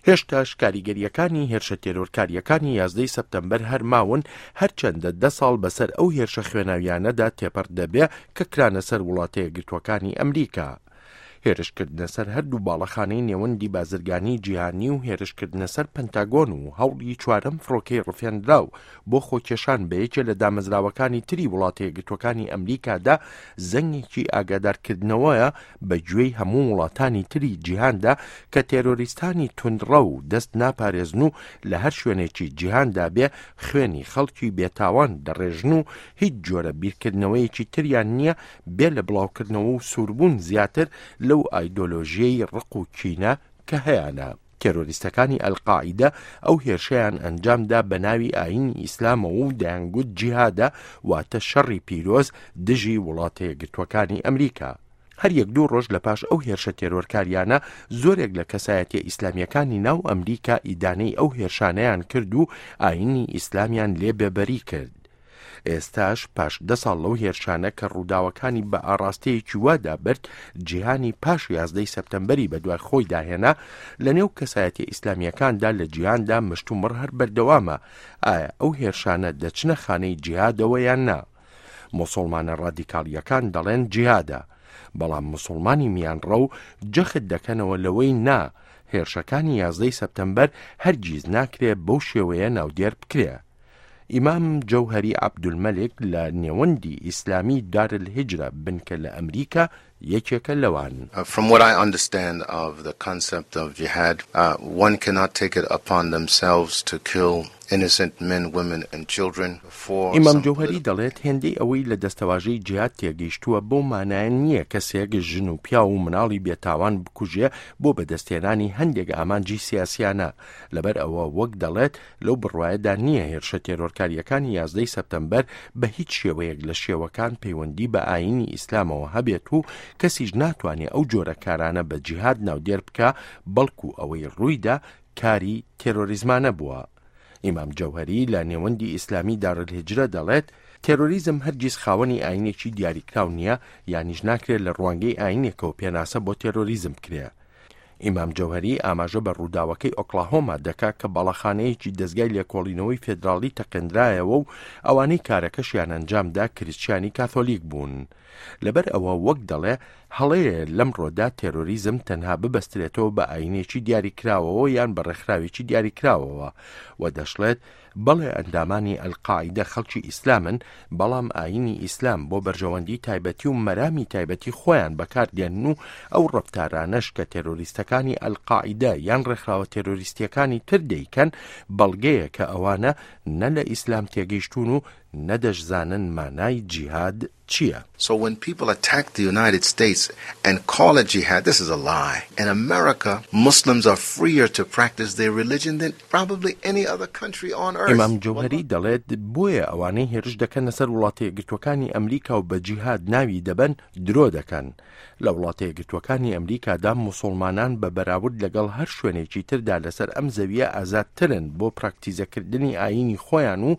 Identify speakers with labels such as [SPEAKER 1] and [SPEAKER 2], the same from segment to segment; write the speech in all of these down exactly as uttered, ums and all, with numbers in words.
[SPEAKER 1] هێشتاش کاریگەرییەکانی هێرشە تێرۆرکارییەکانی یازدەی سەپتەمبەر هەر ماون، هەرچەندە دە ساڵ بەسەر ئەو هێرشە خوێناویانەدا تێپەڕ دەبێ کە کرانە سەر وڵاتە یەکگرتووەکانی ئەمریکا. هێرشکردنە سەر هەردوو باڵەخانەی نێوەندی بازرگانی جیهانی و هێرشکردنە سەر پەنتاگۆن و هەوڵی چوارەم فڕۆکەی ڕفێندراو بۆ خۆکێشان بە یەکێ لە دامەزراوەکانی تری وڵاتە یەکگرتووەکانی ئەمریکادا زەنگێکی ئاگادارکردنەوەیە بە گوێی هەموو وڵاتانی تری جیهاندا کە تێرۆریستانی توندڕەو دەست ناپارێزن و لە هەر شوێنێکی جیهاندا بێ خوێنی خەڵکی بێتاوان دەڕێژن و هیچ جۆرە بیرکردنەوەیەکی تریان نییە بێ لە بڵاوکردنەوە و سووربوون زیاتر لەو ئایدۆلۆژیەی ڕق و کینە کە هەیانە. تێرۆریستەکانی ئەلقاعیدە ئەو هێرشەیان ئەنجامدا بە ناوی ئایینی ئیسلامەوە و دەیانگوت جیهادە، واتە شەڕی پیرۆز دژی وڵاتە یەکگرتووەکانی ئەمریکا. هەر یەک دوو ڕۆژ لە پاش ئەو هێرشە تێرۆرکاریانە زۆرێک لە کەسایەتیە ئیسلامیەکانی ناو ئەمریکا ئیدانەی ئەو هێرشانەیان کرد و ئایینی ئیسلامیان لێ بێبەری کرد. ئێستاش پاش دە ساڵ لەو هێرشانە کە ڕووداوەکانی بە ئاڕاستەیەکی وادا برد جیهانی پاش یازدەی سەپتەمبەری بەدوای خۆیدا هێنا، لەنێو کەسایەتیە ئیسلامیەکاندا لە جیهاندا مشتومڕ هەر بەردەوامە ئایا ئەو هێرشانە دەچنە خانەی جیهادەوە یان نا. موسڵمانە ڕادیکاڵیەکان دەڵێن جیهادە، بەڵام موسڵمانی میانڕەو جەخت دەکەنەوە لەوەی نا، هێرشەکانی یازدەی سەپتەمبەر هەرگیز ناکرێ بەو شێوەیە ناودێر بکرێ. ئیمام جەوهەری عەبدولمەلک لە نێوەندی ئیسلامی دار الهجرە بنکە لە ئەمریکا یەکێکە لەوان.
[SPEAKER 2] From what I understand of the concept of jihad, one cannot take it upon themselves to kill innocent men, women and children for
[SPEAKER 1] ئیمام
[SPEAKER 2] some
[SPEAKER 1] جەوهەری
[SPEAKER 2] political
[SPEAKER 1] دەڵێت هێندەی ئەوەی لە دەستەواژەی جیهاد تێگەیشتووە بەو مانایە نییە کەسێک ژن و پیاو و مناڵی بێتاوان بکوژێ بۆ بەدەستهێنانی هەندێک ئامانجی سیاسیانە. لەبەر ئەوە وەک دەڵێت لەو بڕوایەدا نییە هێرشە تێرۆرکاریەکانی یازدەی سەپتەمبەر بە هیچ شێوەیەک لە شێوەکان پەیوەندی بە ئایینی ئیسلامەوە هەبێت و کەسیش ناتوانێت ئەو جۆرە کارانە بە جیهاد ناودێر بکە، بەڵکو ئەوەی ڕوویدا کاری تێرۆریزمانە بووە. ئیمام جەوهەری لە نێوەندی ئیسلامی دارالهجرە دەڵێت تێرۆریزم هەرگیز خاوەنی ئاینێکی دیاریکراو نییە، یانیش ناکرێت لە ڕوانگەی ئاینێکەوە پێناسە بۆ تێرۆریزم بکرێ. ئیمام جەوهەری ئاماژە بە ڕووداوەکەی ئۆکلاهۆما دەکا کە باڵەخانەیەکی دەزگای لێکۆڵینەوەی فێدراڵی تەقێندرایەوە و ئەوانەی کارەکەشیان ئەنجامدا کریسچیانی کاثۆلیک بوون. لەبەر ئەوە وەک دەڵێ هەڵەیە لەمڕۆدا تێرۆریزم تەنها ببەسترێتەوە بە ئاینێکی دیاریکراوەوە یان بە ڕێکخراوێکی دیاریکراوەوە و دەشڵێت بەڵێ ئەندامانی ئەلقاعیدە خەڵکی ئیسلامن، بەڵام ئاینی ئیسلام بۆ بەرژەوەندی تایبەتی و مەرامی تایبەتی خۆیان بەکاردێنن و ئەو ڕەفتارانەش کە تێرۆریستەکانی ئەلقاعیدە یان ڕێکخراوە تێرۆریستیەکانی تر دەیکەن بەڵگەیە کە ئەوانە نە لە ئیسلام تێگەیشتون و نەدەشزانن مانای جیهاد چییە.
[SPEAKER 2] So when people attack the United States and call it jihad, this is a lie. In America, Muslims are freer to practice their religion than probably any other country on earth.
[SPEAKER 1] ئیمام جەوهەری دەڵێت بۆیە ئەوانەی هێرش دەکەنە سەر وڵاتە یەکگرتووەکانی ئەمریکا و بە جیهاد ناوی دەبەن درۆ دەکەن. لە وڵاتە یەکگرتووەکانی ئەمریکادا موسڵمانان بە بەراورد لەگەڵ هەر شوێنێکی تردا لەسەر ئەم زەویە ئازادترن بۆ پراکتیزەکردنی ئایینی خۆیان و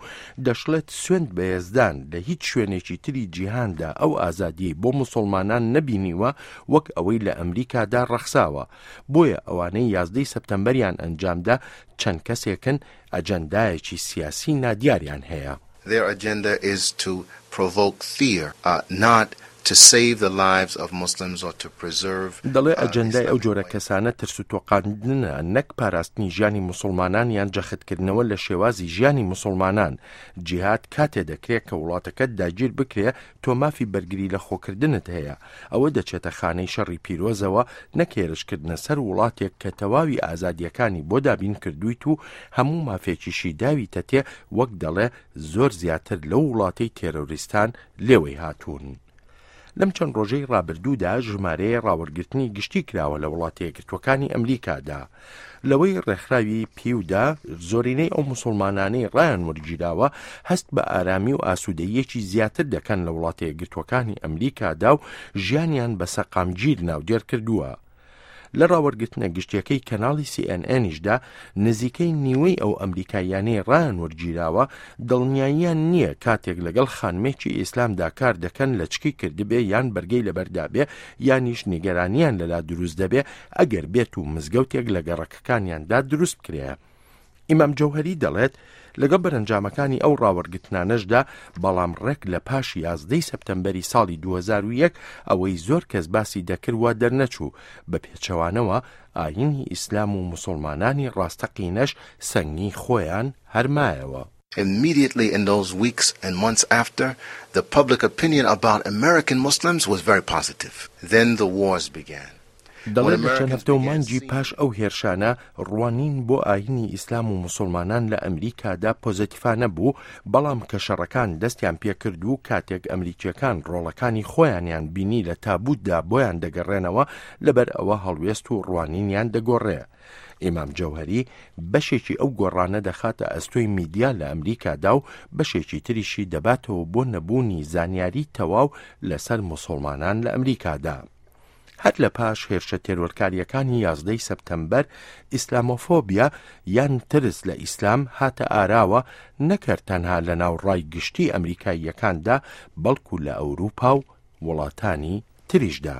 [SPEAKER 1] دەشڵێت سوێند بە یەزدان لە هیچ شوێنێکی تری جیهاندا ئەو ئازادیەی بۆ موسڵمانان نەبینیوە وەک ئەوەی لە ئەمریکادا ڕەخساوە. بۆیە ئەوانەی یازدەی سەپتەمبەریان ئەنجامدا چەند کەسێکن ئەجەندایەکی سیاسی نادیاریان هەیە.
[SPEAKER 2] Their agenda is to provoke fear, uh, not to save the lives of Muslims or to preserve,
[SPEAKER 1] دەڵێ
[SPEAKER 2] uh,
[SPEAKER 1] ئەجەندای ئەو
[SPEAKER 2] Islamic
[SPEAKER 1] جۆرە
[SPEAKER 2] way.
[SPEAKER 1] کەسانە ترس و تۆقاندنە نەک پاراستنی ژیانی موسڵمانان یان جەختکردنەوە لە شێوازی ژیانی موسڵمانان. جیهاد کاتێ دەکرێت کە وڵاتەکەت داگیر بکرێ تۆ مافی بەرگری لە خۆکردنت هەیە. ئەوە دەچێتە خانەی شەڕی پیرۆزەوە نەک هێرشکردنە سەر وڵاتێک کە تەواوی ئازادیەکانی بۆ دابین کردوویت و هەموو مافێکیشی داویتەتێ وەک دەڵێ زۆر زیاتر لەو وڵاتەی تێرۆریستان لێوەی هاتوون. لەم چەند ڕۆژەی ڕابردوودا ژمارەیە ڕاوەرگرتنی گشتی کراوە لە وڵاتە یەکگرتووەکانی ئەمریکادا. لەوەی ڕێکخراوی پیودا زۆرینەی ئەو موسڵمانانەی ڕایان وەرگیراوە هەست بە ئارامی و ئاسوودەیەکی زیاتر دەکەن لە وڵاتە یەکگرتووەکانی ئەمریکادا و ژیانیان بە سەقامگیر ناودێر کردووە. لە ڕاوەرگرتنە گشتیەکەی کەناڵی سی ئێن ئێنیشدا نزیکەی نیوەی ئەو ئەمریکاییانەی ڕایان وەرگیراوە دڵنیاییان نییە کاتێک لەگەڵ خانمێکی ئیسلامدا کار دەکەن لەچکی کردبێ یان بەرگەی لەبەردا بێ یانیش نیگەرانیان لەلا دروست دەبێ ئەگەر بێت و مزگەوتێک لە گەڕەکەکانیاندا دروست بکرێ. ئیمام جەوهەری دەڵێت لەگەڵ بەرەنجامەکانی ئەو ڕاوەرگرتنانەشدا، بەڵام ڕێک لە پاش یازدەی سەپتەمبەری ساڵی دوو هەزار و یەک ئەوەی زۆر کەس باسی دەکرد وا دەرنەچوو، بە پێچەوانەوە ئایینی ئیسلام و موسڵمانانی ڕاستەقینەش سەنگی خۆیان هەر مایەوە.
[SPEAKER 2] Immediately in those weeks and months after, the public opinion about American Muslims was very positive. Then the wars began.
[SPEAKER 1] دەڵێت لە چەند هەفتە و مانگی پاش ئەو هێرشانە ڕوانین بۆ ئایینی ئیسلام و موسڵمانان لە ئەمریکادا پۆزەتیفانە بوو، بەڵام کە شەڕەکان دەستیان پێکرد و کاتێک ئەمریکیەکان ڕۆڵەکانی خۆیانیان بینی لە تابوتدا بۆیان دەگەڕێنەوە، لەبەر ئەوە هەڵوێست و ڕوانینیان دەگۆڕێ. ئیمام جەوهەری بەشێکی ئەو گۆڕانە دەخاتە ئەستۆی میدیا لە ئەمریکادا و بەشێکی تریشی دەباتەوە بۆ نەبوونی زانیاری تەواو لەسەر موسڵمانان لە ئەمریکادا. هەر لە پاش هێرشە تێرۆرکاریەکانی یازدەی سەپتەمبەر، ئیسلامۆفۆبیا یان ترس لە ئیسلام هاتە ئاراوە، نەکەر تەنها لە ناو ڕای گشتی ئەمریکاییەکاندا، بەڵکو لە ئەوروپا و وڵاتانی تریشدا.